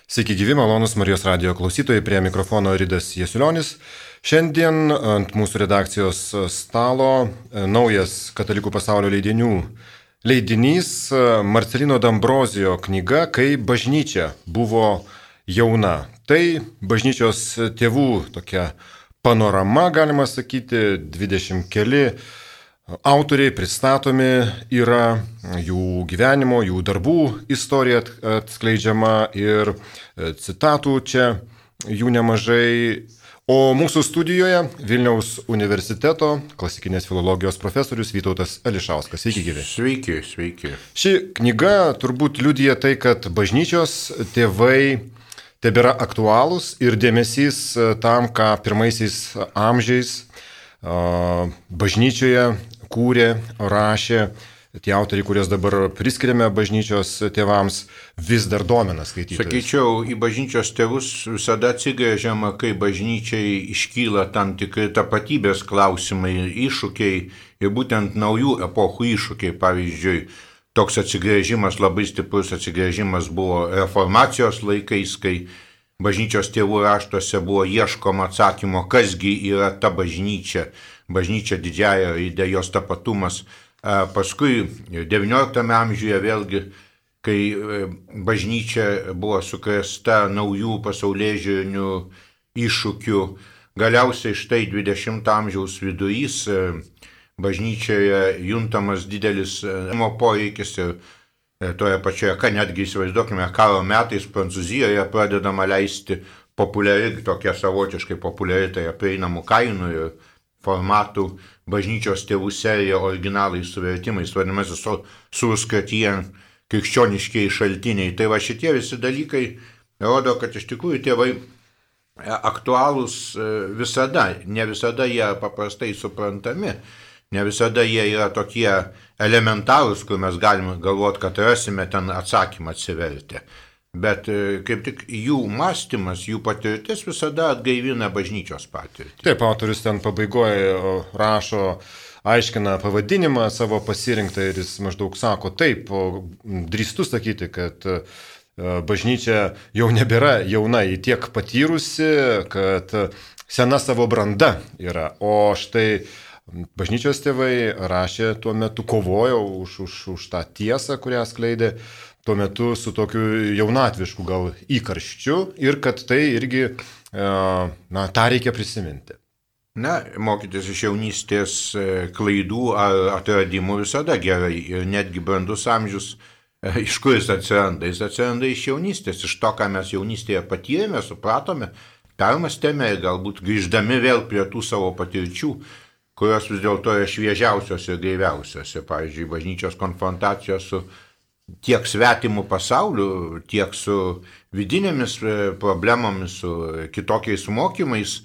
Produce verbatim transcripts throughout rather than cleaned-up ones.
Sveiki gyvi, malonus Marijos radijo klausytojai, prie mikrofono Ridas Jasiulionis. Šiandien ant mūsų redakcijos stalo naujas Katalikų pasaulio leidinių leidinys Marcelino D'Ambrosio knyga Kai bažnyčia buvo jauna. Tai bažnyčios tėvų tokia panorama, galima sakyti, dvidešimt keli autoriai pristatomi yra, jų gyvenimo, jų darbų istorija atskleidžiama ir citatų čia jų nemažai. O mūsų studijoje Vilniaus universiteto klasikinės filologijos profesorius Vytautas Ališauskas. Sveiki gyvi. Sveiki, sveiki. Ši knyga turbūt liudija tai, kad bažnyčios tėvai tebėra aktualūs ir dėmesys tam, ką pirmaisiais amžiais bažnyčioje kūrė, rašė, tie autoriai, kuriuos dabar priskiriame bažnyčios tėvams, vis dar domina skaitytojus. Sakyčiau, į bažnyčios tėvus visada atsigrėžiama, kai bažnyčiai iškyla tam tikri tapatybės klausimai ir iššūkiai, ir būtent naujų epochų iššūkiai. Pavyzdžiui, toks atsigrėžimas, labai stiprus atsigrėžimas buvo reformacijos laikais, kai bažnyčios tėvų raštuose buvo ieškoma atsakymo, kasgi yra ta bažnyčia, bažnyčia didžiaja raide, jos tapatumas. Paskui devynioliktame amžiuje vėlgi, kai bažnyčia buvo sukrėsta naujų pasaulėžiūrinių iššūkių, galiausiai štai dvidešimto amžiaus vidurys, bažnyčioje juntamas didelis poreikis ir toje pačioje, ką netgi įsivaizduokime, karo metais Prancūzijoje pradedama leisti populiari, tokia savotiškai populiari, tai prieinamų kainų ir formatų bažnyčios tėvų serija originalais su vertimais, vadinamasis surskatien krikščioniškiai šaltiniai. Tai va šitie visi dalykai rodo, kad iš tikrųjų tėvai aktualūs visada, ne visada jie paprastai suprantami, ne visada jie yra tokie elementarūs, kur mes galime galvoti, kad rasime ten atsakymą atsiverti. Bet kaip tik jų mąstymas, jų patirtis visada atgaivina bažnyčios patirtį. Taip, autorius ten pabaigoje rašo, aiškina pavadinimą savo pasirinktą ir jis maždaug sako, taip, drįstu sakyti, kad bažnyčia jau nebėra jauna, ji tiek patyrusi, kad sena savo branda yra. O štai bažnyčios tėvai rašė tuo metu, kovojo už, už, už tą tiesą, kurią skleidė tuo metu su tokiu jaunatvišku gal įkarščiu ir kad tai irgi, na, tą reikia prisiminti. Na, mokytis iš jaunystės klaidų ar atradimų visada gerai ir netgi brandus amžius, iš kur jis atsiranda? Jis atsiranda iš jaunystės, iš to, ką mes jaunystėje patyrėme, supratome, permastėme ir galbūt grįždami vėl prie tų savo patirčių, kurios vis dėlto yra šviežiausios ir gaiviausios. Pavyzdžiui, bažnyčios konfrontacijos su tiek svetimų pasaulių, tiek su vidinėmis problemomis, su kitokiais mokymais,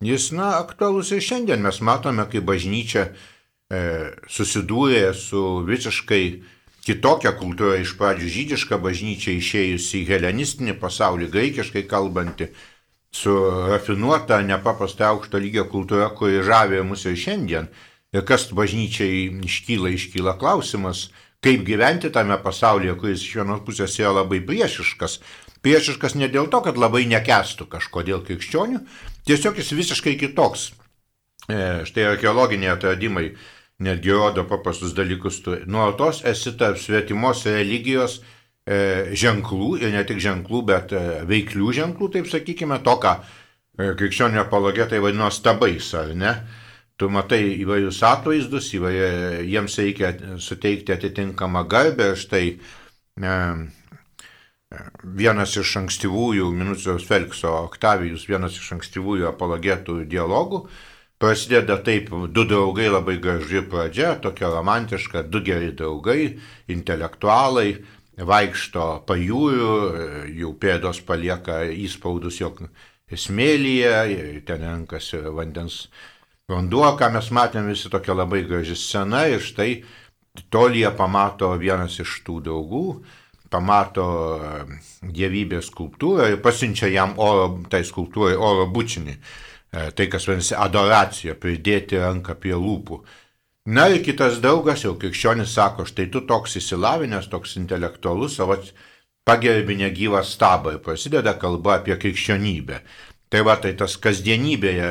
jis, na, aktualus ir šiandien. Mes matome, kai bažnyčia e, susidūrė su visiškai kitokia kultūra, iš pradžių žydiška bažnyčia išėjusi į helenistinį pasaulį, graikiškai kalbanti, su rafinuota, nepaprastai aukšto lygio kultūra, kuri žavė mus ir šiandien. Ir kas bažnyčiai iškyla, iškyla klausimas, kaip gyventi tame pasaulyje, kuris iš vienos pusės yra labai priešiškas. Priešiškas ne dėl to, kad labai nekęstų kažkodėl krikščionių, tiesiog jis visiškai kitoks. E, štai archeologiniai atradimai netgi rodo paprastus dalykus. Nuolatos esi tarp svetimos religijos e, ženklų, ir ne tik ženklų, bet e, veiklių ženklų, taip sakykime, to, ką e, krikščionio apologetai vadino stabais, ar ne? Tu matai įvairius atvaizdus, įvairių, jiems reikia suteikti atitinkamą garbę. Štai e, vienas iš ankstyvųjų, Minucijos Felikso Oktavijus, vienas iš ankstyvųjų apologetų dialogų, prasideda taip, du draugai, labai graži pradžia, tokia romantiška, du geri draugai, intelektualai, vaikšto pajūriu, jų pėdos palieka įspaudus jo smėlyje, ten renkasi vandens vanduo, ką mes matėme, visi tokia labai graži scena, ir štai tolyje pamato vienas iš tų draugų, pamato dievybės skulptūrą ir pasiunčia jam oro, tai skulptūrai oro bučinį, tai kas vadinasi adoracija, pridėti ranką prie lūpų. Na ir kitas draugas, jau krikščionis, sako, štai tu toks įsilavinęs, toks intelektualus, o pagerbi negyvą stabą ir prasideda kalba apie krikščionybę. Tai va, tai tas kasdienybėje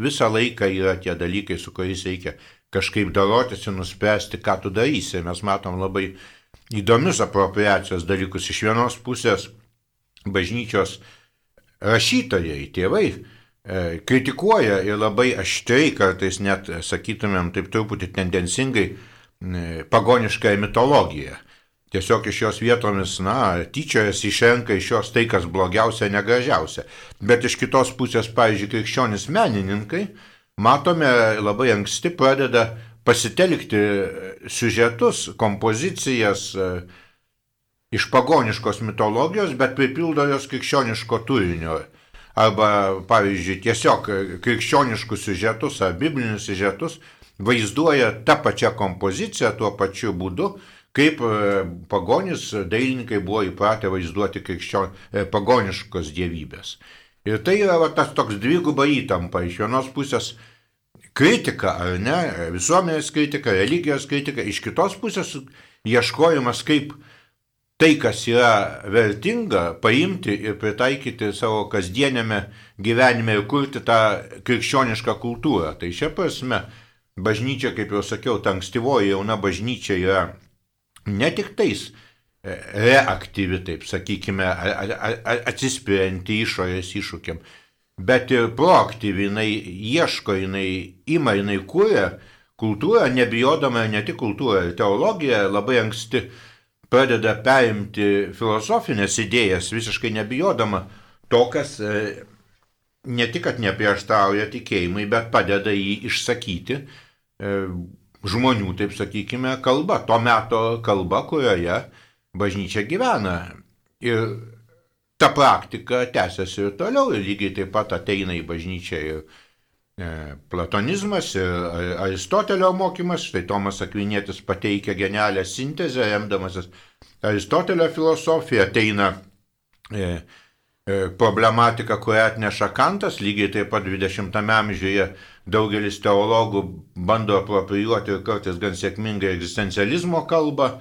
visą laiką yra tie dalykai, su kuriais reikia kažkaip darotis ir nuspręsti, ką tu darysi. Mes matom labai įdomius apropriacijos dalykus. Iš vienos pusės bažnyčios rašytojai, tėvai, e, kritikuoja ir labai aštriai, kartais net, sakytumėm, taip truputį tendencingai, e, pagonišką mitologiją. Tiesiog iš jos vietomis, na, tyčiojas išrenka iš jos tai, kas blogiausia, negražiausia. Bet iš kitos pusės, pavyzdžiui, krikščionis menininkai, matome, labai anksti pradeda pasitelkti siužetus, kompozicijas iš pagoniškos mitologijos, bet pripildo jos krikščioniško turinio. Arba, pavyzdžiui, tiesiog krikščioniškus siužetus ar biblinius siužetus vaizduoja tą pačią kompoziciją tuo pačiu būdu, kaip pagonis dailininkai buvo įpratę vaizduoti krikščion, pagoniškos dievybės. Ir tai yra va, tas toks dviguba įtampa. Iš vienos pusės kritika, ar ne, visuomenės kritika, religijos kritika, iš kitos pusės ieškojimas, kaip tai, kas yra vertinga, paimti ir pritaikyti savo kasdienėme gyvenime ir kurti tą krikščionišką kultūrą. Tai šia prasme bažnyčia, kaip jau sakiau, ta ankstyvoji jauna bažnyčia yra ne tik tais reaktyvi, taip sakykime, atsispirianti išorės iššūkiam, bet ir proaktyvi, jinai ieško, jinai ima, jinai kūrė kultūrą, nebijodama ne tik kultūrą, ir teologija labai anksti pradeda perimti filosofinės idėjas, visiškai nebijodama to, kas ne tik, kad neprieštarauja tikėjimui, bet padeda jį išsakyti žmonių, taip sakykime, kalba, to meto kalba, kurioje bažnyčia gyvena. Ir ta praktika tęsiasi ir toliau, ir lygiai taip pat ateina į bažnyčią ir e, platonizmas, ir Aristotelio mokymas. Štai Tomas Akvinietis pateikia genialią sintezę, remdamasis Aristotelio filosofiją, ateina e, e, problematika, kurią atneša Kantas, lygiai taip pat dvidešimtame amžiuje daugelis teologų bando aproprijuoti ir kartais gan sėkmingai egzistencializmo kalbą.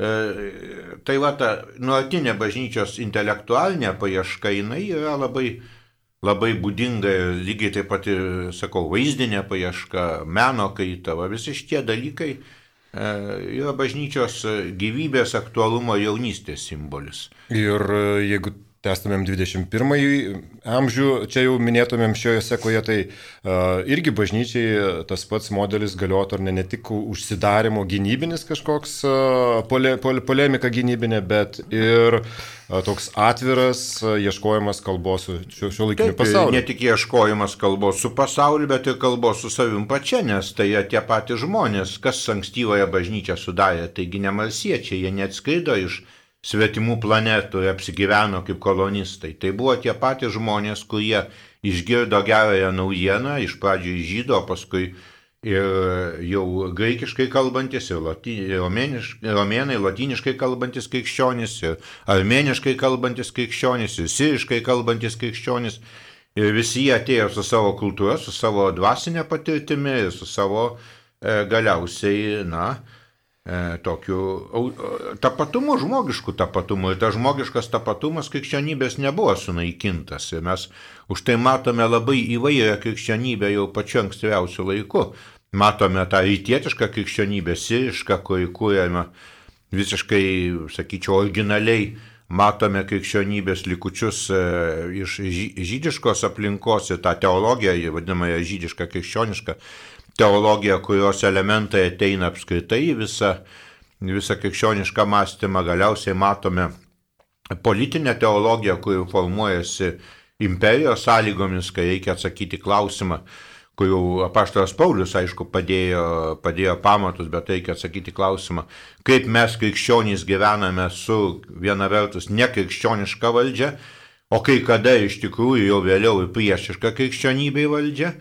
E, tai va, ta nuolatinė bažnyčios intelektualinė paieška, jinai yra labai, labai būdinga, lygiai taip pat ir, sakau, vaizdinė paieška, meno kaita, va, visi šitie dalykai e, yra bažnyčios gyvybės, aktualumo, jaunystės simbolis. Ir jeigu tęstumėm dvidešimt pirmąjį amžių, čia jau minėtumėm šioje sekoje, tai uh, irgi bažnyčiai tas pats modelis galiotų, ar ne, ne tik užsidarimo gynybinis kažkoks uh, pole, pole, polemika gynybinė, bet ir uh, toks atviras uh, ieškojimas kalbos su šio, šio laikiniu pasauliu. Ne tik ieškojimas kalbos su pasauliu, bet ir kalbos su savim pačia, nes tai tie patys žmonės, kas ankstyvąją bažnyčią sudarė, taigi ne marsiečiai, jie neatskrido iš svetimų planetų ir apsigyveno kaip kolonistai. Tai buvo tie patys žmonės, kurie išgirdo gerąją naujieną, iš pradžių iš žydų, o paskui ir jau graikiškai kalbantis, ir lati, romėnai, latiniškai kalbantis krikščionys, ir armėniškai kalbantis krikščionys, ir siriškai kalbantis krikščionys. Ir visi jie atėjo su savo kultūra, su savo dvasinė patirtimi ir su savo e, galiausiai, na, E, tokiu tapatumu, žmogišku tapatumu. Ir tas žmogiškas tapatumas krikščionybės nebuvo sunaikintas. Ir mes už tai matome labai įvairią krikščionybę jau pačiu ankstyviausiu laiku. Matome tą rytietišką krikščionybę, sirišką, kuri kūrėme visiškai, sakyčiau, originaliai. Matome krikščionybės likučius e, iš žydiškos aplinkos ir tą teologiją, vadinamąją žydišką krikščionišką teologija, kurios elementai ateina apskritai visą, visą krikščionišką mąstymą. Galiausiai matome politinę teologiją, kuri formuojasi imperijos sąlygomis, kai reikia atsakyti klausimą, kurių apaštalas Paulius, aišku, padėjo, padėjo pamatus, bet reikia atsakyti klausimą, kaip mes krikščionys gyvename su viena vertus nekrikščioniška valdžia, o kai kada iš tikrųjų jau vėliau ir priešiška krikščionybei valdžia.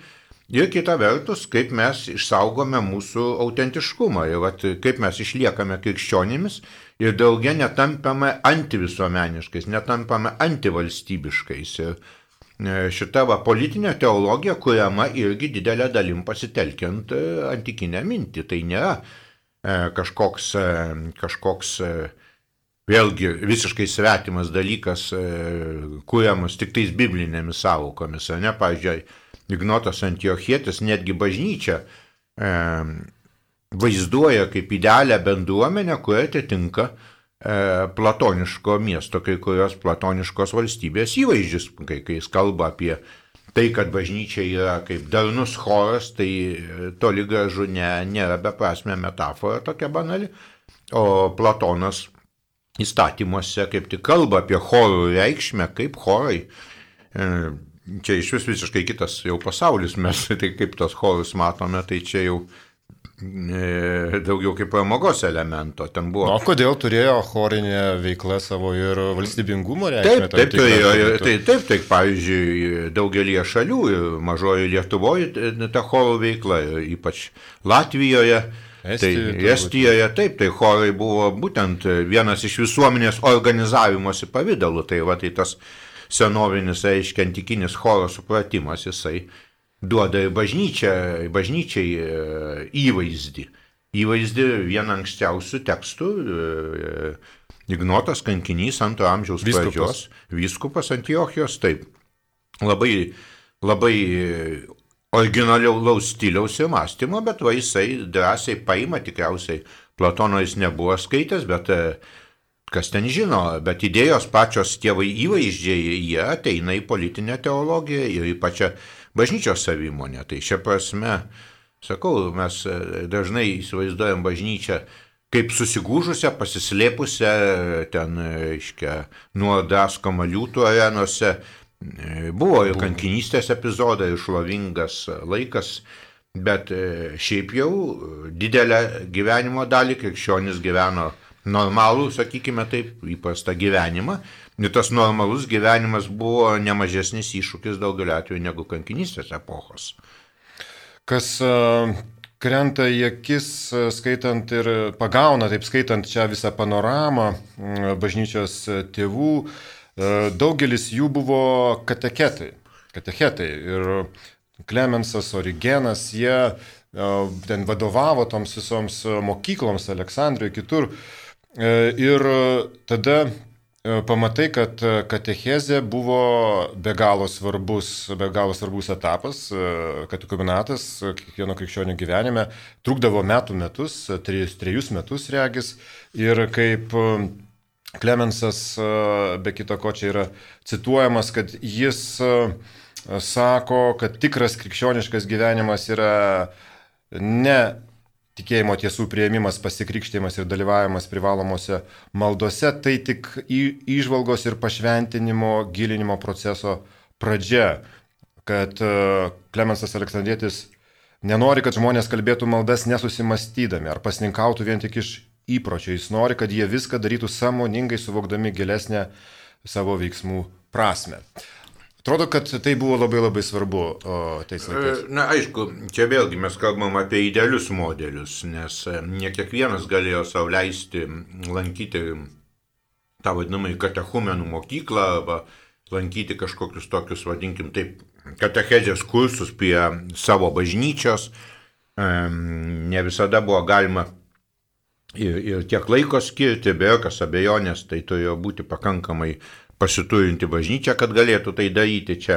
Ir kita vertus, kaip mes išsaugome mūsų autentiškumą, ir vat, kaip mes išliekame krikščionimis ir daugia netampame antivisuomeniškais, netampame antivalstybiškais. Ir šita va, politinė teologija kuriama irgi didelę dalim pasitelkiant antikinę mintį. Tai nėra kažkoks, kažkoks vėlgi visiškai svetimas dalykas, kuriamas tik tais biblinėmis sąvokomis. Ne? Pavyzdžiui, Ignotas Antiochietis netgi bažnyčią e, vaizduoja kaip idealią bendruomenę, kuria atitinka e, platoniško miesto, kai kurios platoniškos valstybės įvaizdžius, kai, kai jis kalba apie tai, kad bažnyčia yra kaip darnus choras, tai toli gražu ne, nėra beprasmė metafora tokia banali, o Platonas įstatymuose kaip tik kalba apie chorų reikšmę, kaip chorai. Čia iš vis visiškai kitas jau pasaulis, mes tai kaip tos chorus matome, tai čia jau daugiau kaip pramogos elemento. Ten buvo... O kodėl turėjo chorinė veikla savo ir valstybingumo reikšmę? Taip, taip, turėjo, taip, taip, taip, pavyzdžiui, daugelie šalių, mažoji Lietuvoje ta chorų veikla, ypač Latvijoje, Estijoje, tai, Estijoje, taip, tai chorai buvo būtent vienas iš visuomenės organizavimosi pavydalų, tai va, tai tas senovinis, reiškia, antikinis choro supratimas, jisai duoda ir bažnyčiai, bažnyčiai įvaizdį. Įvaizdį vieną ankstiausių tekstų, Ignotas Kankinys, antro amžiaus pradžios, vyskupas Antiochijos, taip, labai, labai originaliaus stiliaus ir mąstymo, bet va jisai drąsiai paima, tikriausiai Platono jis nebuvo skaitęs, bet kas ten žino, bet idėjos pačios tėvai įvaizdžiai, jie ateina į politinę teologiją ir į pačią bažnyčios savimonę. Tai šia prasme, sakau, mes dažnai įsivaizduojam bažnyčią kaip susigūžusią, pasislėpusią, ten, reiškia, nuo draskoma liūtų arenose. Buvo ir kankinystės epizodai, ir šlovingas laikas, bet šiaip jau didelę gyvenimo dalį krikščionis gyveno normalų, sakykime taip, įprastą gyvenimą. Ir tas normalus gyvenimas buvo nemažesnis iššūkis daugeliu atveju negu kankinystės epochos. Kas uh, krenta į akis, skaitant ir pagauna, taip skaitant čia visą panoramą uh, bažnyčios tėvų, uh, daugelis jų buvo katechetai. katechetai. Ir Klemensas, Origenas, jie uh, ten vadovavo toms visoms mokykloms, Aleksandrijoje, kitur. Uh, ir tada pamatai, kad katechezė buvo be galo svarbus, be galo svarbus etapas, katekumenatas kiekvieno krikščionio gyvenime, trukdavo metų metus, trejus, trejus metus regis, ir kaip Klemensas, be kito ko čia yra cituojamas, kad jis sako, kad tikras krikščioniškas gyvenimas yra ne tikėjimo tiesų priėmimas, pasikrikštimas ir dalyvavimas privalomose maldose, tai tik įžvalgos ir pašventinimo, gilinimo proceso pradžia. Kad Klemensas Aleksandrietis nenori, kad žmonės kalbėtų maldas nesusimastydami ar pasninkautų vien tik iš įpročio. Jis nori, kad jie viską darytų sąmoningai, suvokdami gilesnę savo veiksmų prasme. Atrodo, kad tai buvo labai labai svarbu o, tais laikais. Na, aišku, čia vėlgi mes kalbam apie idealius modelius, nes ne kiekvienas galėjo sau leisti lankyti tą vadinamą katechumenų mokyklą arba lankyti kažkokius tokius, vadinkim taip, katechezės kursus prie savo bažnyčios. Ne visada buvo galima ir, ir tiek laiko skirti, be jokios abejonės, tai turėjo būti pakankamai pasiturinti bažnyčia, kad galėtų tai daryti čia.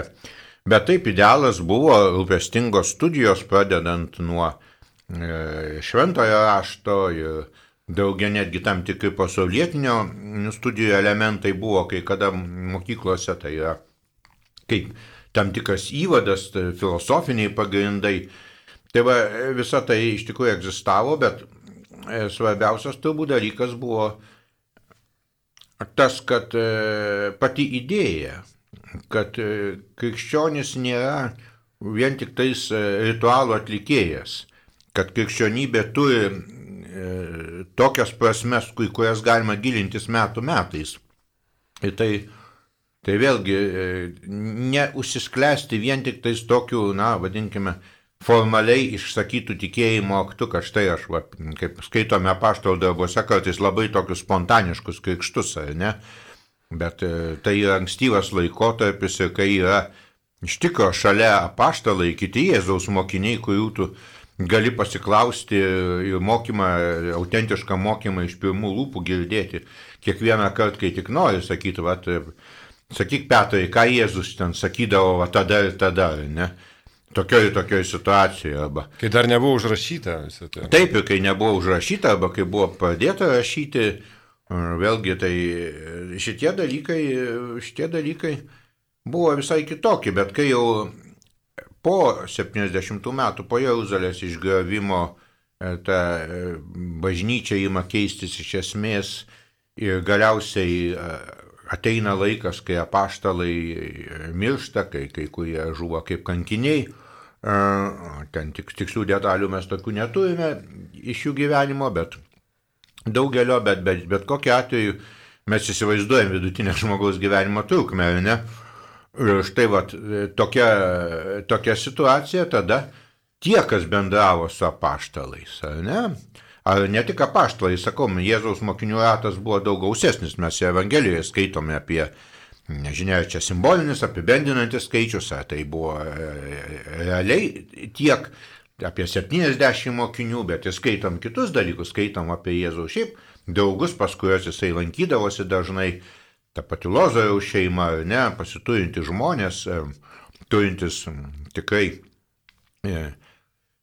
Bet taip idealas buvo rūpestingos studijos, pradedant nuo e, šventojo rašto ir daugia netgi tam tikri pasaulietinio studijų elementai buvo, kai kada mokyklose tai yra kaip tam tikras įvadas, tai filosofiniai pagrindai. Tai va, visa tai iš tikrųjų egzistavo, bet e, svarbiausias turbūt dalykas buvo tas, kad pati idėja, kad krikščionis nėra vien tik tais ritualų atlikėjas, kad krikščionybė turi tokias prasmes, kurias galima gilintis metų metais. Ir tai, tai vėlgi neužsisklęsti vien tik tais tokių, na, vadinkime, formaliai išsakytų tikėjimo aktų, kad štai aš, va, kaip skaitome apaštalų darbuose, kartais labai tokius spontaniškus krikštus, ar ne? Bet tai yra ankstyvas laikotarpis ir kai yra iš tikro šalia apaštalai, kiti Jėzaus mokiniai, kurių tu gali pasiklausti ir mokymą, autentišką mokymą iš pirmų lūpų girdėti. Kiekvieną kartą, kai tik nori, sakyti, vat, sakyk Petrai, ką Jėzus ten sakydavo, va, tada ir tada, ne? Tokioj ir tokioj situacijoje. Arba. Kai dar nebuvo užrašyta visą tai. Taip, ir kai nebuvo užrašyta, arba kai buvo pradėta rašyti, vėlgi tai šitie dalykai, šitie dalykai buvo visai kitokie, bet kai jau po septyniasdešimtų metų, po Jeruzalės išgriovimo, ta bažnyčia ima keistis iš esmės ir galiausiai ateina laikas, kai apaštalai miršta, kai kai kurie žuvo kaip kankiniai. Ten tik, tikslių detalių mes tokių neturime iš jų gyvenimo, bet daugelio, bet, bet, bet kokiu atveju mes įsivaizduojam vidutinę žmogaus gyvenimo trukmę, ar ne? Ir štai vat, tokia, tokia situacija tada tie, kas bendravo su apaštalais, ar ne? Ar ne tik apaštalai, sakom, Jėzaus mokinių ratas buvo daug gausesnis, mes Evangelijoje skaitome apie, nežinia, čia simbolinis, apibendinantis skaičius, ar tai buvo realiai tiek apie septyniasdešimt mokinių, bet ir skaitom kitus dalykus, skaitom apie Jėzaus šiaip draugus, pas kuriuos jisai lankydavosi dažnai, ta pati Lozoriaus šeima, ne, pasiturinti žmonės, turintis tikrai, e,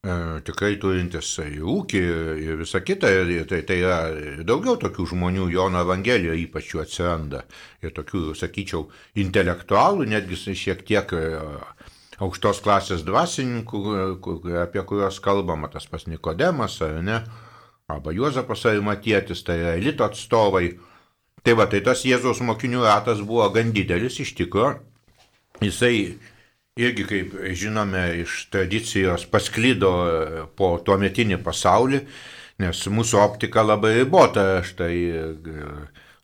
e, tikrai turintis ūkį ir visą kitą, ir tai, tai yra daugiau tokių žmonių Jono Evangelijoje ypač jų atsiranda, ir tokių, sakyčiau, intelektualų, netgi šiek tiek aukštos klasės dvasininkų, apie kuriuos kalbama, tas pas Nikodemas, ar ne, arba Juozapas Arimatietis, tai yra elito atstovai. Tai va, tai tas Jėzaus mokinių ratas buvo gan didelis iš tikro. Jisai irgi, kaip žinome, iš tradicijos pasklido po tuometinį pasaulį, nes mūsų optika labai ribota. Štai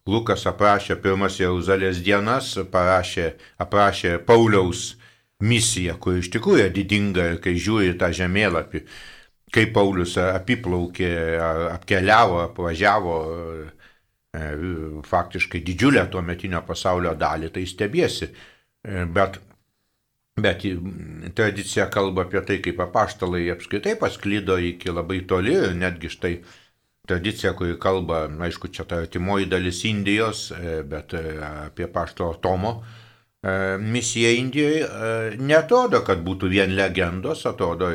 Lukas aprašė pirmas Jeruzalės dienas, parašė, aprašė Pauliaus misiją, kur iš tikrųjų didinga, kai žiūri tą žemėlapį, kaip Paulius apiplaukė, apkeliavo, apvažiavo faktiškai didžiulę tuometinio pasaulio dalį, tai stebėsi. Bet, bet tradicija kalba apie tai, kaip apaštalai apskritai pasklido iki labai toli, ir netgi štai tradicija, kuri kalba, aišku, čia ta artimoji dalis Indijos, bet apie apaštalo Tomo misiją Indijoje, neatrodo, kad būtų vien legendos, atrodo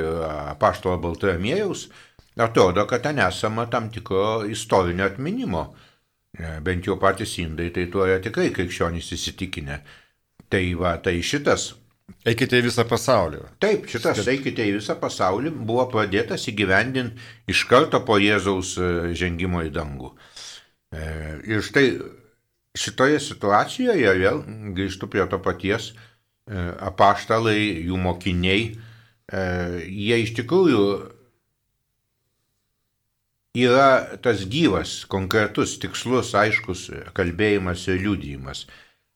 apaštalo Baltramiejaus, atrodo, kad ten esama tam tikro istorinio atminimo. Bent jau patys indai, tai tuo yra tikrai krikščionys įsitikinę. Tai va, tai šitas... Eikite į visą pasaulį. Taip, šitas eikite į visą pasaulį buvo pradėtas įgyvendinti iš karto po Jėzaus žengimo į dangų. Ir štai šitoje situacijoje vėl grįžtu prie to paties, apaštalai, jų mokiniai, jie iš tikrųjų yra tas gyvas, konkretus, tikslus, aiškus kalbėjimas ir liudijimas.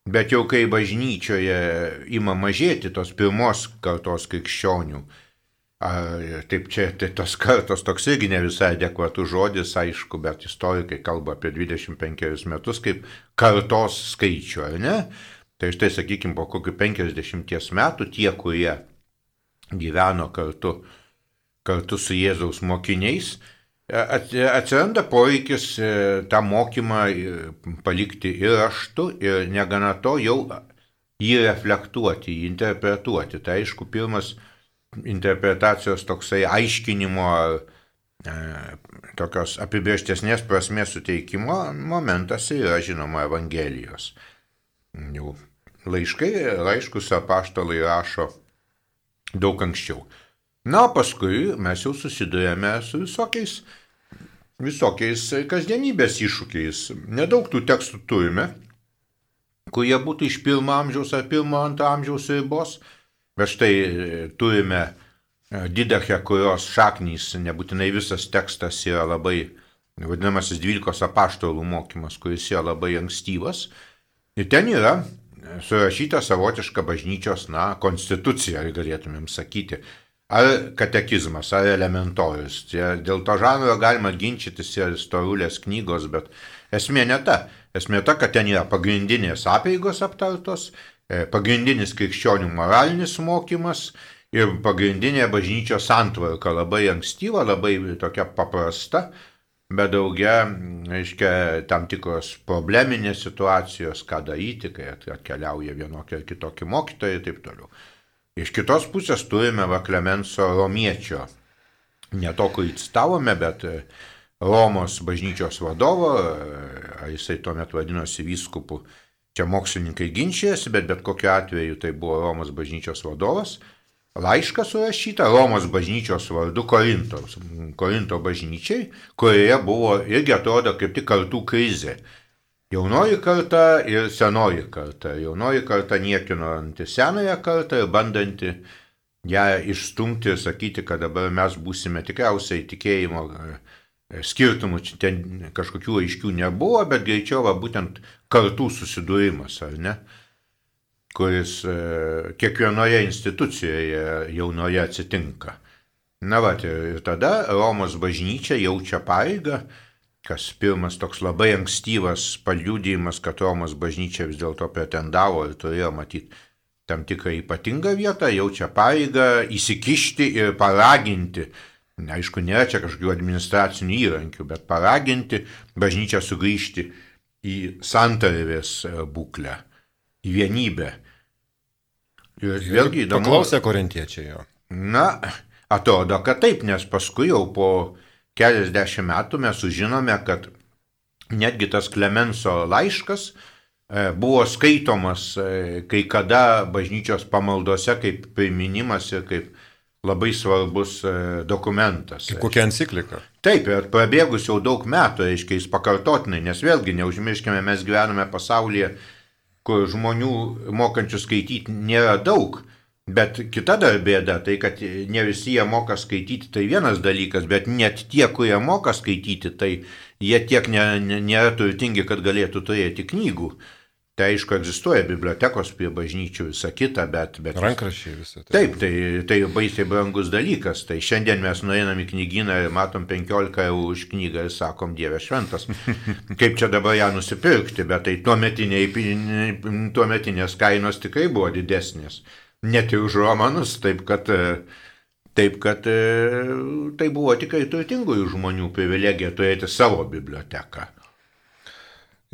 Bet jau kai bažnyčioje ima mažėti tos pirmos kartos krikščionių, taip čia tai tos kartos toks irgi ne visai adekvatus žodis, aišku, bet istorikai kalba apie dvidešimt penkerius metus kaip kartos skaičių, ar ne? Tai štai, sakykime, po kokių penkiasdešimties metų tie, kurie gyveno kartu, kartu su Jėzaus mokiniais, atsiranda poreikis tą mokymą palikti ir raštu, ir negana to jau jį reflektuoti, jį interpretuoti. Tai aišku, pirmas interpretacijos toksai aiškinimo, tokios apibrėžtesnės prasmės suteikimo momentas yra, žinoma, Evangelijos. Jau laiškai, laiškus apaštalai rašo daug anksčiau. Na, paskui mes jau susidurėme su visokiais, visokiais kasdienybės iššūkiais. Nedaug tų tekstų turime, kurie būtų iš pirmo amžiaus ar pirmo antro amžiaus ribos, bet štai turime Didachę, kurios šaknys, nebūtinai visas tekstas yra labai, vadinamasis dvylikos apaštalų mokymas, kuris yra labai ankstyvas. Ir ten yra surašyta savotiška bažnyčios, na, konstitucija, galėtumėm sakyti. Ar katekizmas, ar elementorius. Dėl to žanro galima ginčytis ir storulės knygos, bet esmė ne ta. Esmė ta, kad ten yra pagrindinės apeigos aptartos, pagrindinis krikščionių moralinis mokymas ir pagrindinė bažnyčios santvarka labai ankstyva, labai tokia paprasta, bet daugia, reiškia, tam tikros probleminės situacijos, ką daryti, kai atkeliauja vienokie ar kitokie mokytojai ir taip toliau. Iš kitos pusės turime va Klemenso Romiečio, ne to, kurį citavome, bet Romos bažnyčios vadovo, ar jisai tuomet vadinosi vyskupu, čia mokslininkai ginčijasi, bet bet kokiu atveju tai buvo Romos bažnyčios vadovas, laišką surašyta Romos bažnyčios vardu Korintos, Korinto bažnyčiai, kurioje buvo irgi atrodo kaip tik kartų krizė. Jaunoji karta ir senoji karta. Jaunoji karta niekinanti senąją kartą ir bandanti ją išstumti ir sakyti, kad dabar mes būsime tikriausiai tikėjimo skirtumų, ten kažkokių aiškių nebuvo, bet greičiau va, būtent kartų susidūrimas, ar ne, kuris kiekvienoje institucijoje jaunoje atsitinka. Na va, ir tada Romos bažnyčia jaučia pareigą, kas pirmas toks labai ankstyvas paliudijimas, kad Romos bažnyčia vis dėlto pretendavo ir turėjo matyti tam tikrą ypatingą vietą, jaučia pareigą įsikišti ir paraginti, aišku, nėra čia kažkokių administracinių įrankių, bet paraginti bažnyčią sugrįžti į santarvės būklę, į vienybę. Ir vėlgi įdomu. Paklausė korintiečiai jo. Na, atrodo, kad taip, nes paskui jau po keliasdešimt metų mes sužinome, kad netgi tas Klemenso laiškas buvo skaitomas kai kada bažnyčios pamaldose kaip priminimas ir kaip labai svarbus dokumentas. Kaip kokia enciklika. Taip, ir prabėgus jau daug metų, reiškia, jis pakartotinai, nes vėlgi, neužmirškime, mes gyvename pasaulyje, kur žmonių mokančių skaityti nėra daug. Bet kita dar bėda, tai kad ne visi jie moka skaityti, tai vienas dalykas, bet net tie, kurie moka skaityti, tai jie tiek nėra, nėra turtingi, kad galėtų turėti knygų. Tai aišku, egzistuoja bibliotekos prie bažnyčių, visa kita, bet... bet rankraščiai visą. Tai. Taip, tai, tai baisiai brangus dalykas. Tai šiandien mes nueinam į knygyną ir matom penkiolika eurų už knygą ir sakom, Dieve šventas, kaip čia dabar ją nusipirkti, bet tai tuometinės kainos tikrai buvo didesnės. Net ir už romanus, taip kad, taip kad tai buvo tikrai turtingųjų žmonių privilegija turėti savo biblioteką.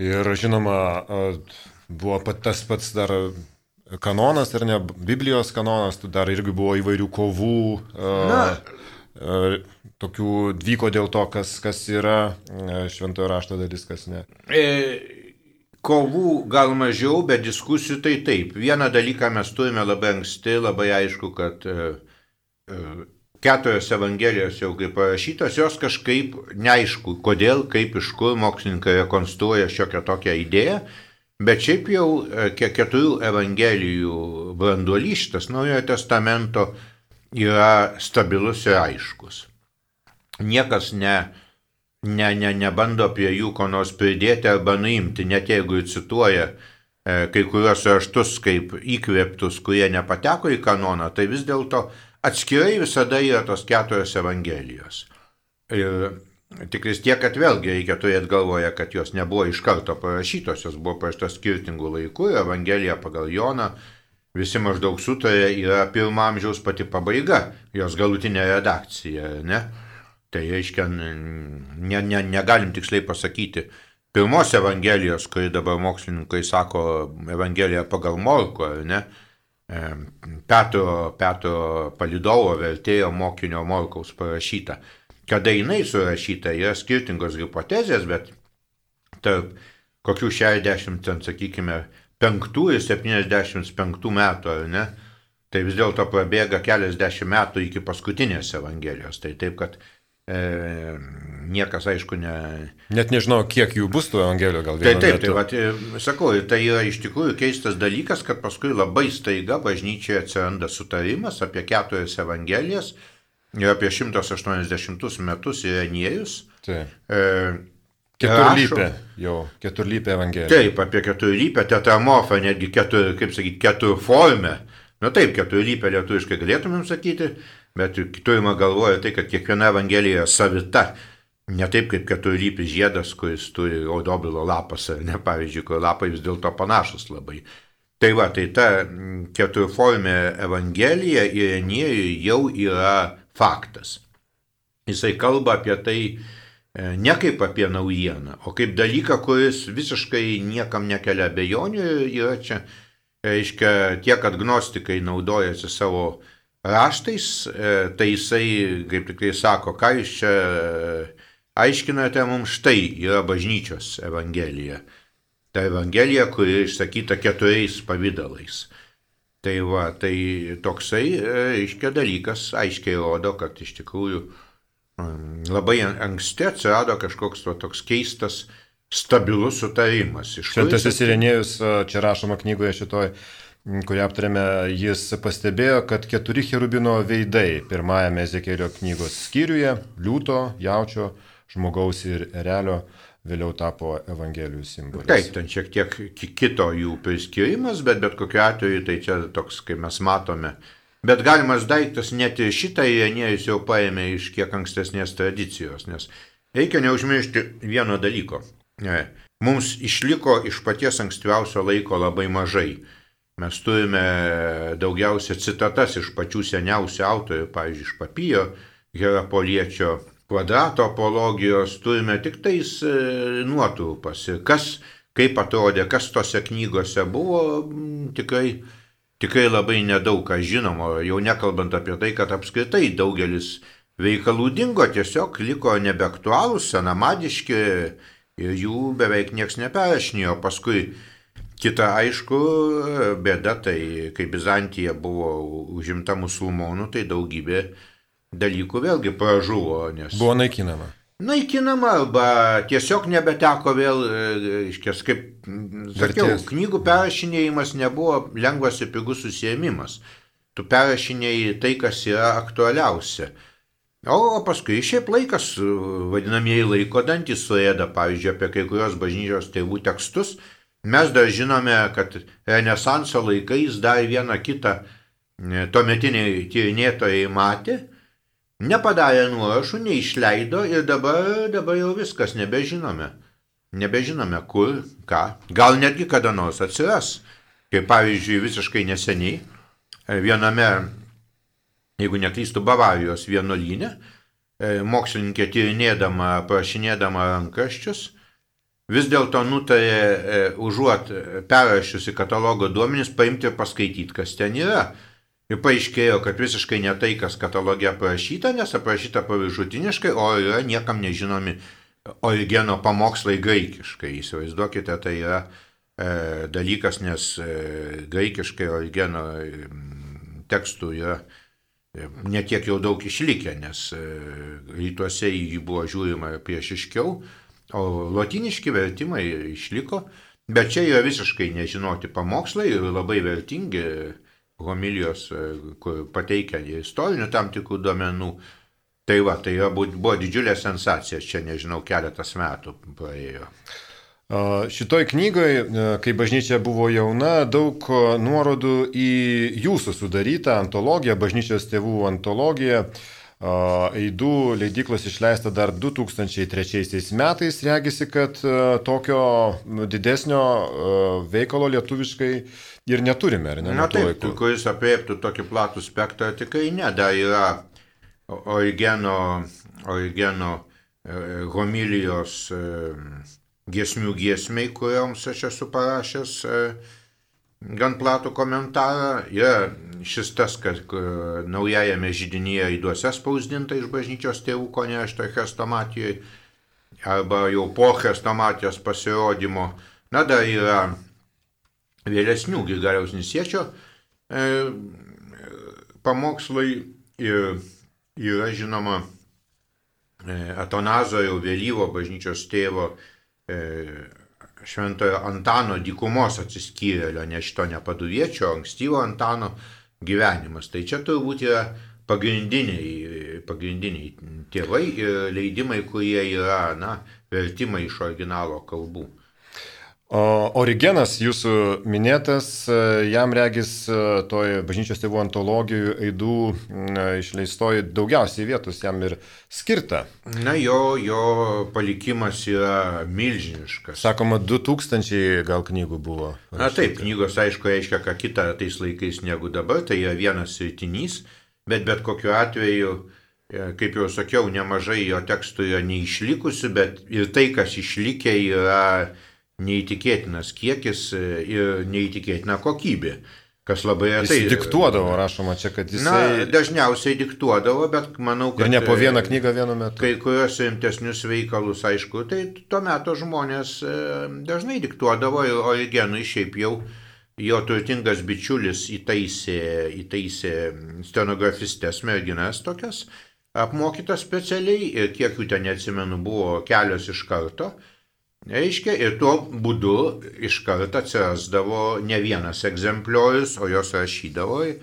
Ir žinoma, buvo pat tas pats dar kanonas, ar ne, Biblijos kanonas, dar irgi buvo įvairių kovų, a, a, tokių vyko dėl to, kas, kas yra šventojo rašto dalis, kas ne. E... Kovų gal mažiau, bet diskusijų tai taip. Vieną dalyką mes turime labai anksti, labai aišku, kad e, e, keturios evangelijos jau kaip parašytos, jos kažkaip neaišku, kodėl, kaip, iš kur mokslininkai rekonstruoja šiokią tokią idėją, bet šiaip jau e, keturių evangelijų branduolys, šitas Naujojo testamento, yra stabilus ir aiškus. Niekas ne... Ne, ne, nebando prie jų ko nors pridėti arba nuimti, net jeigu cituoja e, kai kurios raštus kaip įkvėptus, kurie nepateko į kanoną, tai vis dėlto atskirai visada yra tos keturios evangelijos. Ir tik vis tiek, kad vėlgi reikia turėti galvoje, kad jos nebuvo iš karto parašytos, jos buvo parašytos skirtingų laikų, Evangelija pagal Joną, visi maždaug sutarė, yra pirmo amžiaus pati pabaiga, jos galutinė redakcija, ne? Tai reiškia, ne, ne, negalim tiksliai pasakyti pirmos evangelijos, kuri dabar mokslininkai sako Evangelija pagal Morko, ne? Petro, Petro Palidovo vertėjo mokinio Morkaus parašyta. Kada jinai surašyta, yra skirtingos hipotezės, bet tarp kokių šešiasdešimt, sakykime, penktų ir septyniasdešimt penktų metų, ar ne? Tai vis dėlto prabėga keliasdešimt metų iki paskutinės evangelijos. Tai taip, kad E, niekas, aišku, ne... Net nežinau, kiek jų bus tų evangelijų, gal vienu metu. Taip, taip, metu. tai, sakau, tai yra iš tikrųjų keistas dalykas, kad paskui labai staiga bažnyčioje atsiranda sutarimas apie keturias evangelijas ir apie šimtas aštuoniasdešimtus metus Irenėjus. Taip. E, keturlypė, jau, keturlypė evangelija. Taip, apie keturlypę, tetramorfą, netgi ketur, kaip sakyti, keturformę. Na taip, keturlypę lietuviškai galėtumėm sakyti, bet turime galvoje tai, kad kiekviena evangelija yra savita. Ne taip kaip keturlypis žiedas, kuris turi audobilo lapas, ar ne, pavyzdžiui, kur lapai vis dėlto panašus labai. Tai va, tai ta keturformė Evangelija Irenėjui jau yra faktas. Jisai kalba apie tai ne kaip apie naujieną, o kaip dalyką, kuris visiškai niekam nekelia abejonių. Yra čia, reiškia, tiek agnostikai naudojasi savo raštais, tai jisai, kaip tik tai sako, ką jūs čia aiškinate mums, štai yra bažnyčios Evangelija. Ta Evangelija, kuri išsakyta keturiais pavydalais. Tai va, tai toksai, reiškia, dalykas aiškiai rodo, kad iš tikrųjų labai anksti atsirado kažkoks to, toks keistas, stabilus sutarimas. Šventasis Irenėjus, čia rašoma knygoje šitoj, kurią aptarėme, jis pastebėjo, kad keturi cherubino veidai pirmajame Ezekėlio knygos skyriuje, liūto, jaučio, žmogaus ir erelio, vėliau tapo Evangelijų simbolis. Taip, ten šiek tiek kito jų priskirimas, bet bet kokiu atveju tai čia toks, kaip mes matome. Bet galimas daiktas net ir šitą Irenėjus jau paėmė iš kiek ankstesnės tradicijos, nes reikia neužmiršti vieno dalyko. Mums išliko iš paties ankstyviausio laiko labai mažai. Mes turime daugiausia citatas iš pačių seniausių autorių, pavyzdžiui, iš Papijo, Herapoliečio, Kvadrato apologijos, turime tik tais nuotrupas. Ir kas, kaip atrodė, kas tose knygose buvo, tikrai, tikrai labai nedaug ką žinoma, jau nekalbant apie tai, kad apskritai daugelis veikalų dingo, tiesiog liko nebeaktualūs, senamadiški ir jų beveik nieks neperrašinėjo. Paskui kita, aišku, bėda, tai kai Bizantija buvo užimta musulmonų, tai daugybė dalykų vėlgi pražuvo, nes... Buvo naikinama. Naikinama, arba tiesiog nebeteko vėl, iškės, kaip sakiau, Vertės. Knygų perrašinėjimas nebuvo lengvas ir pigus susiėmimas. Tu perrašinėjai tai, kas yra aktualiausia. O paskui šiaip laikas, vadinamieji laiko dantys suėda, pavyzdžiui, apie kai kurios bažnyčios tėvų tekstus. Mes dar žinome, kad Renesanso laikais dar vieną kitą tuometiniai tyrinėtojai matė, nepadarė nuorašų, neišleido ir dabar, dabar jau viskas nebežinome. Nebežinome kur, ką. Gal netgi kada nors atsiras. Kaip pavyzdžiui, visiškai neseniai viename, jeigu neklystu, Bavarijos vienuolyne, mokslininkė tyrinėdama, prašinėdama rankraščius, vis dėlto nutarė užuot perrašiusi katalogo duomenis paimti ir paskaityti, kas ten yra. Ir paaiškėjo, kad visiškai ne tai, kas kataloge aprašyta, nes aprašyta paviršutiniškai, o yra niekam nežinomi Origeno pamokslai graikiškai. Įsivaizduokite, tai yra e, dalykas, nes e, graikiškai Origeno e, tekstų yra e, netiek jau daug išlikę, nes e, rytuose į jį buvo žiūrima priešiškiau, o lotiniški vertimai išliko, bet čia yra visiškai nežinoti pamokslai ir labai vertingi homilijos, kur pateikia istorinių tam tikrų duomenų. Tai va, tai buvo didžiulė sensacija, čia nežinau, keletas metų praėjo. Šitoj knygoje, kai bažnyčia buvo jauna, daug nuorodų į jūsų sudarytą antologiją, bažnyčios tėvų antologiją. Aidų leidyklos išleista dar du tūkstančiai trečiaisiais metais. Regisi, kad tokio didesnio veikalo lietuviškai ir neturime, ar ne? Na taip, kuris apriektų tokį platų spektrą, tikrai ne. Dar yra Origeno, Origeno homilijos giesmių giesmei, kurioms aš esu parašęs gan platų komentarą. Yra šis tas, kad naujajame židinyje aiduose spausdinta iš bažnyčios tėvų konešto chrestomatijoje, arba jau po chrestomatijos pasirodymo. Na, dar yra vėlesnių Grigaliaus Nisiečio e, pamokslai ir yra žinoma e, Atanazo jau vėlyvo bažnyčios tėvo e, Šventojo Antano dykumos atsiskyrėlio, ne šito nepaduviečio, ankstyvo Antano gyvenimas. Tai čia turbūt yra pagrindiniai, pagrindiniai tėvai ir leidimai, kurie yra, na, vertimai iš originalo kalbų. O Origenas, jūsų minėtas, jam regis toj bažnyčios tėvų antologijų aidų išleistoji daugiausiai vietos jam ir skirta. Na, jo, jo palikimas yra milžiniškas. Sakoma, du tūkstančiai gal knygų buvo. Na taip, knygos aišku reiškia ką kitą tais laikais negu dabar, tai yra vienas sritinys, bet bet kokiu atveju, kaip jau sakiau, nemažai jo tekstų yra neišlikusių, bet ir tai, kas išlikę, yra neįtikėtinas kiekis ir neįtikėtina kokybė, kas labai retai. Jis diktuodavo, rašoma čia, kad jisai... Na, dažniausiai diktuodavo, bet manau, kad... Ir ne po vieną knygą vienu metu. Kai kurios rimtesnius veikalus, aišku, tai tuo metu žmonės dažnai diktuodavo ir Origenui šiaip jau jo turtingas bičiulis įtaisė, įtaisė stenografistės merginas tokias, apmokytas specialiai ir kiek jų ten neatsimenu buvo kelios iš karto. Reiškia, ir tuo būdu iš karto atsirasdavo ne vienas egzempliorius, o jos rašydavo ir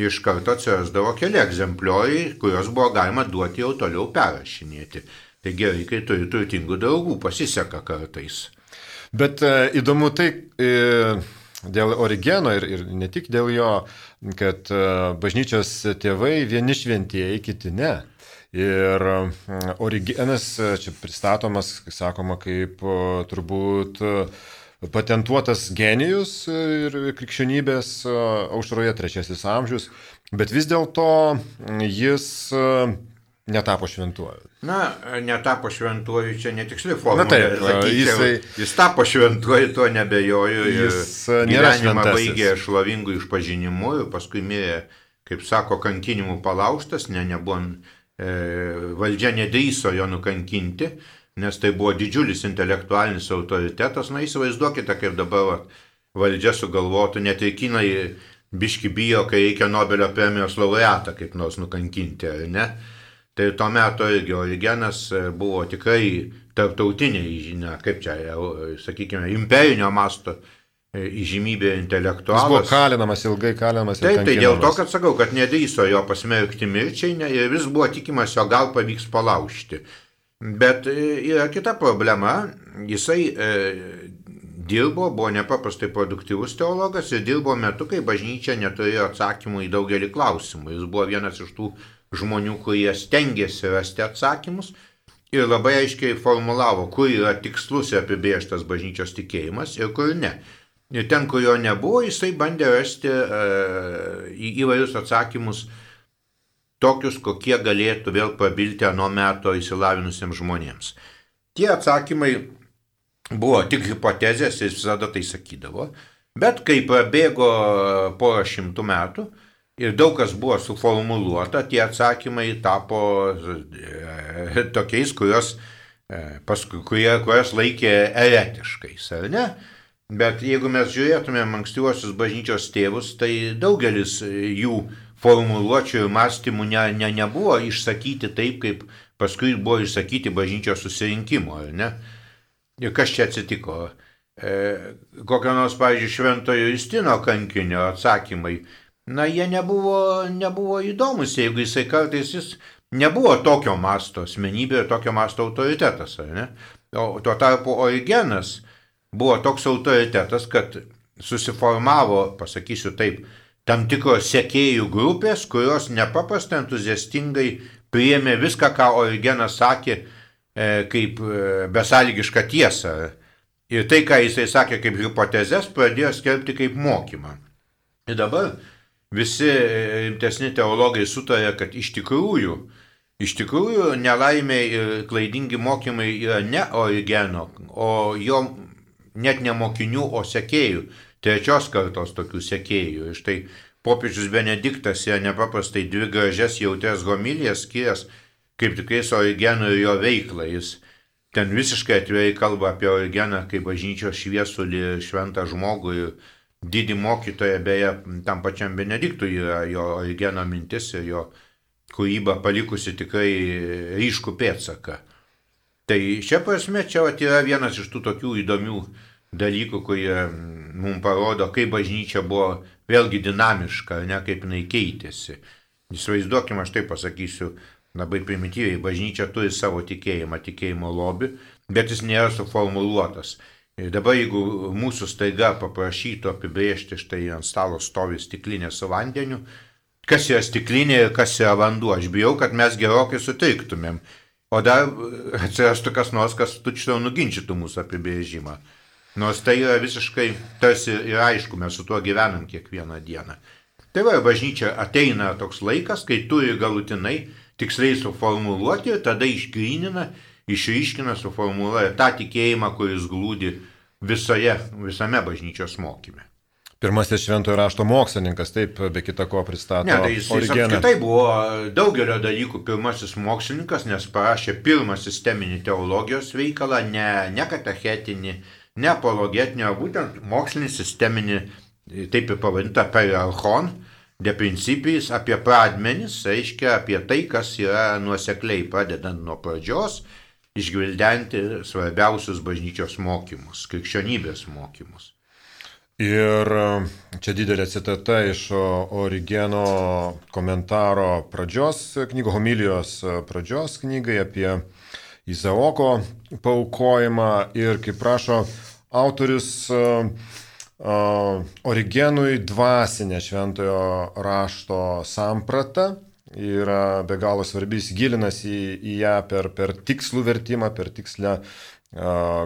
iš karto atsirasdavo keli egzemplioriai, kuriuos buvo galima duoti jau toliau perrašinėti. Tai gerai, kai turi turtingų draugų, pasiseka kartais. Bet e, įdomu tai e, dėl Origeno ir, ir ne tik dėl jo, kad e, bažnyčios tėvai vieni šventieji, kiti ne. Ir Origenas čia pristatomas, sakoma, kaip turbūt patentuotas genijus ir krikščionybės aušroje trečiasis amžius, bet vis dėlto jis netapo šventuoju. Na, netapo šventuoju, čia netiksli formulė. Na taip, jisai... Jis tapo šventuoju, tuo nebejoju. Jis nėra gyvenimą šventasis. baigė šlovingų išpažinimu ir paskui mirė, kaip sako, kankinimų palaužtas, ne, nebuvo... Valdžia nedrįso jo nukankinti, nes tai buvo didžiulis intelektualinis autoritetas. Na, įsivaizduokite, kaip dabar valdžia sugalvotų, net ir kinai biški bijo, kai reikia Nobelio premijos laureatą kaip nors nukankinti, ar ne? Tai tuo metu irgi Origenas buvo tikrai tarptautiniai, žinia, kaip čia, sakykime, imperinio masto įžymybė intelektualas. Jis buvo kalinamas, ilgai kalinamas. Taip, tai dėl to, kad sakau, kad nedrįso jo pasmerkti mirčiai ne, ir vis buvo tikimas, jo gal pavyks palaužti. Bet yra kita problema, jisai e, dirbo, buvo nepaprastai produktyvus teologas ir dirbo metu, kai bažnyčia neturėjo atsakymų į daugelį klausimų. Jis buvo vienas iš tų žmonių, kurie stengėsi rasti atsakymus ir labai aiškiai formulavo, kur yra tikslus ir apibrėžtas bažnyčios tikėjimas ir kur ne. Ir ten, kur jo nebuvo, jisai bandė rasti uh, į įvairius atsakymus tokius, kokie galėtų vėl prabilti ano meto įsilavinusiems žmonėms. Tie atsakymai buvo tik hipotezės, jis visada tai sakydavo, bet kai prabėgo porą šimtų metų ir daug kas buvo suformuluota, tie atsakymai tapo e, tokiais, kurios, e, paskui, kurie, kurios laikė eretiškais, ar ne? Bet jeigu mes žiūrėtumėm ankstyvosius bažnyčios tėvus, tai daugelis jų formuluočių ir mąstymų ne, ne, nebuvo išsakyti taip, kaip paskui buvo išsakyti bažnyčios susirinkimo, ar ne? Ir kas čia atsitiko? E, kokio nors, pavyzdžiui, Šventojo Justino kankinio atsakymai, na, jie nebuvo, nebuvo įdomus, jeigu jisai kartais jis nebuvo tokio masto asmenybė ir tokio masto autoritetas, ar ne? O tuo tarpu Origenas buvo toks autoritetas, kad susiformavo, pasakysiu taip, tam tikros sekėjų grupės, kurios nepaprastai entuziastingai priėmė viską, ką Origenas sakė, kaip besąlygišką tiesą. Ir tai, ką jisai sakė kaip hipotezes, pradėjo skelbti kaip mokymą. Ir dabar visi rimtesni teologai sutarė, kad iš tikrųjų, iš tikrųjų nelaimiai ir klaidingi mokymai yra ne Origeno, o jo net ne mokinių, o sekėjų, trečios kartos tokių sekėjų. Ir štai popiežius Benediktas yra nepaprastai dvi gražias jautrias homilijas skyręs kaip tikrais Origenų ir jo veiklą. Jis ten visiškai atvirai kalba apie Origeną kaip bažnyčios šviesulį, šventą žmogų ir didį mokytoją, beje, tam pačiam Benediktui yra jo Origeno mintis ir jo kūryba palikusi tikrai ryškų pėdsaką. Tai šia prasme čia yra vienas iš tų tokių įdomių dalykų, kurie mums parodo, kaip bažnyčia buvo vėlgi dinamiška, ne kaip jinai keitėsi. Įsivaizduokime, aš taip pasakysiu labai primityviai, bažnyčia turi savo tikėjimą, tikėjimo lobį, bet jis nėra suformuluotas. Ir dabar jeigu mūsų staiga paprašytų apibrėžti, štai ant stalo stovi stiklinė su vandeniu, kas yra stiklinė ir kas yra vanduo, aš bijau, kad mes gerokai sutriktumėm. O dar atsirastų kas nors, kas tuččiau nuginčytų mūsų apibrėžimą. Nors tai yra visiškai tarsi ir aišku, mes su tuo gyvenam kiekvieną dieną. Tai va, bažnyčia ateina toks laikas, kai turi galutinai tiksliai suformuluoti ir tada išgrynina, išryškina, suformuluoja tą tikėjimą, kuris glūdi visoje, visame bažnyčios mokyme. Pirmasis šventojo rašto mokslininkas, taip, be kita ko pristato ne, tai jis, jis apskritai buvo daugelio dalykų pirmasis mokslininkas, nes parašė pirmą sisteminį teologijos veikalą, ne, ne katechetinį, ne apologetinį, o būtent mokslinį sisteminį, taip ir pavadinta periarchon, de principis, apie pradmenis, reiškia apie tai, kas yra nuosekliai pradedant nuo pradžios, išgvildenti svarbiausius bažnyčios mokymus, krikščionybės mokymus. Ir čia didelė citata iš Origeno komentaro pradžios knygos, homilijos pradžios knygai apie Izaoko paaukojimą ir, kaip prašo autorius, Origenui dvasinė šventojo rašto samprata yra be galo svarbi, jis gilinasi į, į ją per, per tikslų vertimą, per tikslę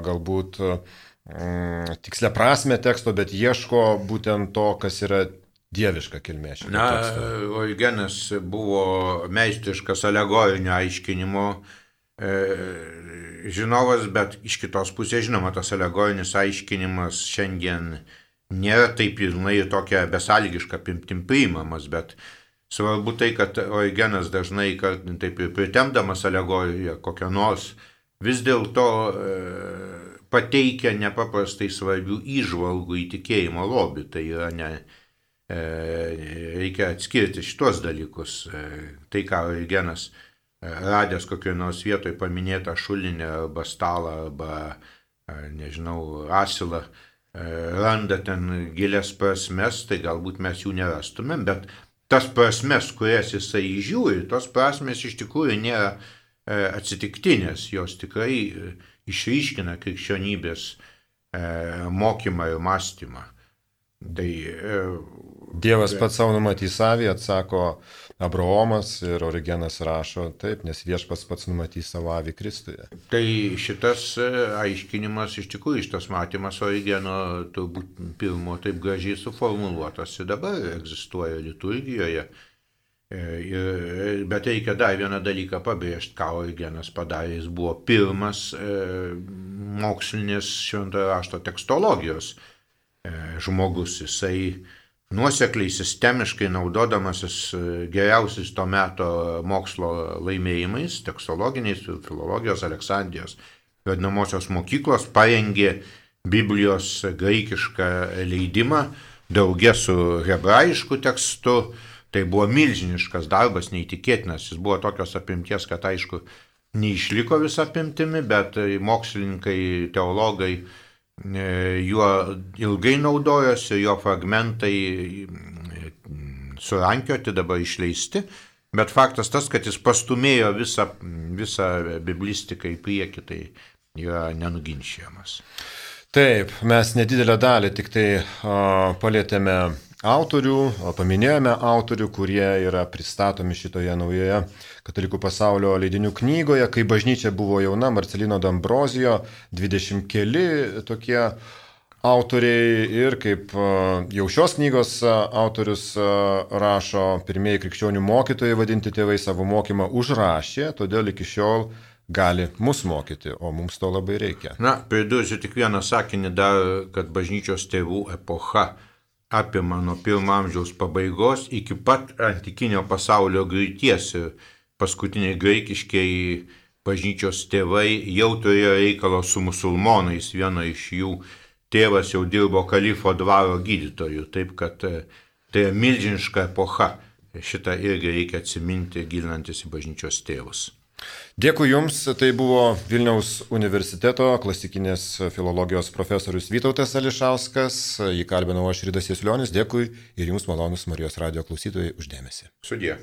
galbūt tikslę prasme teksto, bet ieško būtent to, kas yra dieviška kilmė šito Na, teksto. Origenas buvo meistriškas alegorinio aiškinimo e, žinovas, bet iš kitos pusės, žinoma, tas alegorinis aiškinimas šiandien nėra taip pilnai tokia besąlygiška apimtim priimamas, bet svarbu tai, kad Origenas dažnai, kad taip ir pritemdamas alegoriją kokią nors, vis dėlto e, pateikia nepaprastai svarbių įžvalgų į tikėjimo lobį. Tai yra ne, e, reikia atskirti šitos dalykus. E, tai, ką Origenas e, radęs kokioje nors vietoje paminėtą šulinį arba stalą arba, e, nežinau, asilą, e, randa ten gilias prasmes, tai galbūt mes jų nerastumėm, bet tas prasmes, kurias jisai žiūri, tos prasmes iš tikrųjų nėra e, atsitiktinės, jos tikrai e, išryškina krikščionybės e, mokymą ir mąstymą. Tai, e, Dievas pats savo numatys savį, atsako Abraomas ir Origenas rašo taip, nes viešpats pats numatys savo avį Kristuje. Tai šitas aiškinimas, iš tikrųjų šitas matymas Origeno turbūt pirmo taip gražiai suformuluotas ir dabar egzistuoja liturgijoje. Ir, bet reikia dar vieną dalyką pabrėžti, ką Origenas padarė. Jis buvo pirmas e, mokslinės šventojo rašto tekstologijos e, žmogus. Jisai nuosekliai, sistemiškai naudodamasis geriausiais to meto mokslo laimėjimais, tekstologiniais, filologijos, Aleksandrijos vadinamosios mokyklos, parengė Biblijos graikišką leidimą drauge su hebrajišku tekstu. Tai buvo milžiniškas darbas, neįtikėtinas. Jis buvo tokios apimties, kad aišku, neišliko visą apimtimi, bet mokslininkai, teologai juo ilgai naudojosi, jo fragmentai surankioti, dabar išleisti. Bet faktas tas, kad jis pastumėjo visą, visą biblistiką į priekį, tai yra nenuginčiamas. Taip, mes nedidelę dalį tik tai uh, palėtėme autorių, paminėjome autorių, kurie yra pristatomi šitoje naujoje Katalikų pasaulio leidinių knygoje, kai bažnyčia buvo jauna, Marcelino d'Ambrosio, dvidešimt keli tokie autoriai ir kaip jau šios knygos autorius rašo, pirmieji krikščionių mokytojai vadinti tėvai savo mokymą užrašė, todėl iki šiol gali mus mokyti, o mums to labai reikia. Na, pridursiu tik vieną sakinį dar, kad bažnyčios tėvų epocha apima nuo pirmo amžiaus pabaigos iki pat antikinio pasaulio griūties ir paskutiniai graikiškiai bažnyčios tėvai jau turėjo reikalo su musulmonais, vieno iš jų tėvas jau dirbo kalifo dvaro gydytoju, taip kad tai milžiniška epocha, šitą irgi reikia atsiminti gilinantis į bažnyčios tėvus. Dėkui Jums, tai buvo Vilniaus universiteto klasikinės filologijos profesorius Vytautas Ališauskas, jį kalbinau aš Ridas Jasulionis, dėkui ir Jums malonus Marijos radijo klausytojai už dėmesį. Sudie.